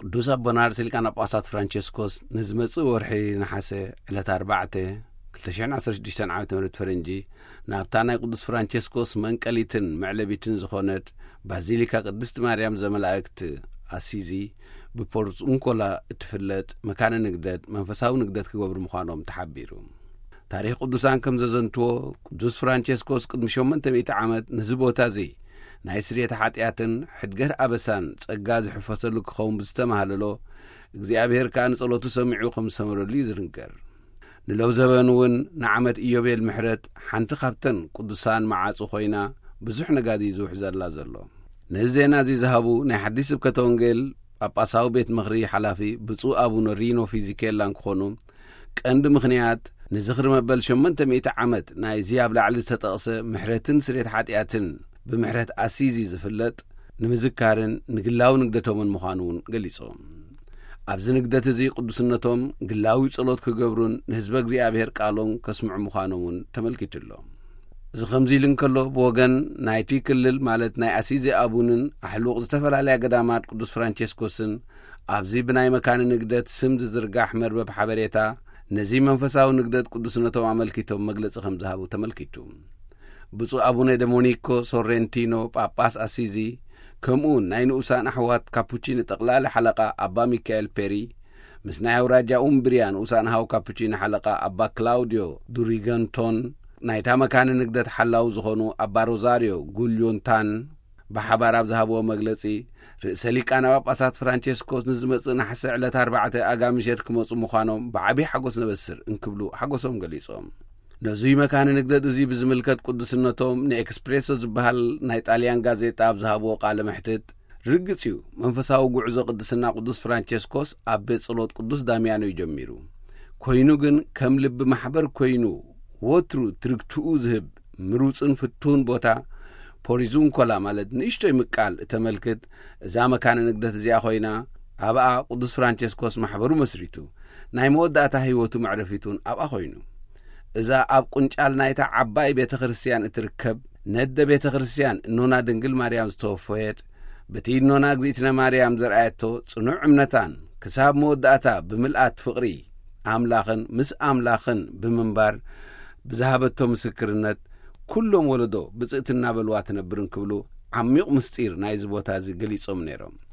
ቅዱስ ኣቦና ርእሰ ሊቃነ ጳጳሳት ፍራንቸስኮስ ንዝመጽእ ወርሒ ነሓሰ ዕለት ኣርባዕተ ክልተ ሽሕን ዓሰርተ ሽዱሽተን ዓመተ ምህረት ፈረንጂ ናብታ ናይ ቅዱስ ፍራንቸስኮስ መንቀሊትን መዕለቢትን ዝኾነት ባዚሊካ ቅድስቲ ማርያም ዘመላእክት ኣሲዚ ብፖርት ኡንኮላ እትፍለጥ መካነ ንግደት መንፈሳዊ ንግደት ክገብሩ ምዃኖም ተሓቢሩ። ታሪኽ ቅዱሳን ከም ዘዘንትዎ ቅዱስ ፍራንቸስኮስ ቅድሚ ሸሞንተ ሚእቲ ዓመት ነዚ ቦታ እዚ ናይ ስርየተ ሓጢኣትን ሕድገት ኣበሳን ጸጋ ዝሕፈሰሉ ክኸውን ብዝተማሃለሎ እግዚኣብሔር ከኣ ንጸሎቱ ሰሚዑ ከም ዝሰመረሉ እዩ ዝንገር። ንለው ዘበን እውን ንዓመት ኢዮቤል ምሕረት ሓንቲ ካብተን ቅዱሳን መዓጹ ኮይና ብዙሕ ነጋዲ ዝውሕዘላ ዘሎ። ነዚ ዜና እዚ ዝሃቡ ናይ ሓዲስ ስብከተ ወንጌል ጳጳሳዊ ቤት ምኽሪ ሓላፊ ብፁዕ ኣቡነ ሪኖ ፊዚኬላ እንክኾኑ ቀንዲ ምኽንያት ንዝኽሪ መበል ሸሞንተ ሚእቲ ዓመት ናይዚ ኣብ ላዕሊ ዝተጠቕሰ ምሕረትን ስርየት ሓጢኣትን ብምሕረት ኣሲዚ ዝፍለጥ ንምዝካርን ንግላዊ ንግደቶምን ምዃኑ እውን ገሊጾም። ኣብዚ ንግደት እዚ ቅዱስነቶም ግላዊ ጸሎት ክገብሩን ንህዝበ እግዚኣብሔር ቃሎም ከስምዑ ምዃኖም እውን ተመልኪቱ ኣሎ። እዚ ከምዚ ኢሉ እንከሎ ብወገን ናይቲ ክልል ማለት ናይ ኣሲዚ ኣቡንን ኣሕሉቕ ዝተፈላለያ ገዳማት ቅዱስ ፍራንቸስኮስን ኣብዚ ብናይ መካኒ ንግደት ስም ዝዝርጋሕ መርበብ ሓበሬታ ነዚ መንፈሳዊ ንግደት ቅዱስነቶም ኣመልኪቶም መግለጺ ከም ዝሃቡ ተመልኪቱ። ብፁዕ ኣቡነ ዶሚኒኮ ሶሬንቲኖ ጳጳስ ኣሲዚ ከምኡ እውን ናይ ንኡሳን ኣሕዋት ካፑቺን ጠቕላሊ ሓለቓ ኣባ ሚካኤል ፔሪ ምስ ናይ ኣውራጃ ኡምብሪያ ንኡሳን ሃው ካፑቺን ሓለቓ ኣባ ክላውዲዮ ዱሪገንቶን ናይታ መካነ ንግደት ሓላው ዝኾኑ ኣባ ሮዛሪዮ ጉልዮንታን ብሓባር ኣብ ዝሃብዎ መግለጺ ርእሰ ሊቃነ ጳጳሳት ፍራንቸስኮስ ንዝመጽእ ነሓሰ ዕለት ኣርባዕተ ኣጋ ምሸት ክመጹ ምዃኖም ብዓብዪ ሓጎስ ነበስር እንክብሉ ሓጎሶም ገሊጾም። ነዙይ መካነ ንግደት እዙይ ብዝምልከት ቅዱስነቶም ንኤክስፕሬሶ ዝበሃል ናይ ጣልያን ጋዜጣ ኣብ ዝሃብዎ ቃለ መሕትት ርግጽ እዩ መንፈሳዊ ጉዕዞ ቅድስና ቅዱስ ፍራንቸስኮስ ኣብ ቤት ጸሎት ቅዱስ ዳሚያኖ እዩ ጀሚሩ። ኮይኑ ግን ከም ልቢ ማሕበር ኮይኑ ወትሩ ትርግትኡ ዝህብ ምሩጽን ፍቱን ቦታ ፖሪዙንኮላ ማለት ንእሽቶይ ምቃል እተመልክት እዛ መካነ ንግደት እዚኣ ኮይና ኣብኣ ቅዱስ ፍራንቸስኮስ ማሕበሩ መስሪቱ ናይ መወዳእታ ህይወቱ መዕረፊቱን ኣብኣ ኮይኑ እዛ ኣብ ቁንጫል ናይታ ዓባይ ቤተ ክርስቲያን እትርከብ ነደ ቤተ ክርስቲያን እኖና ድንግል ማርያም ዝተወፈየት በቲ እኖና እግዚኣብትነ ማርያም ዘርኣየቶ ጽኑዕ እምነታን ክሳብ መወዳእታ ብምልኣት ፍቕሪ ኣምላኽን ምስ ኣምላኽን ብምንባር ብዝሃበቶ ምስክርነት ኩሎም ወለዶ ብጽእቲ እናበልዋ ትነብር እንክብሉ ዓሚቕ ምስጢር ናይዚ ቦታ እዚ ገሊጾም ነይሮም።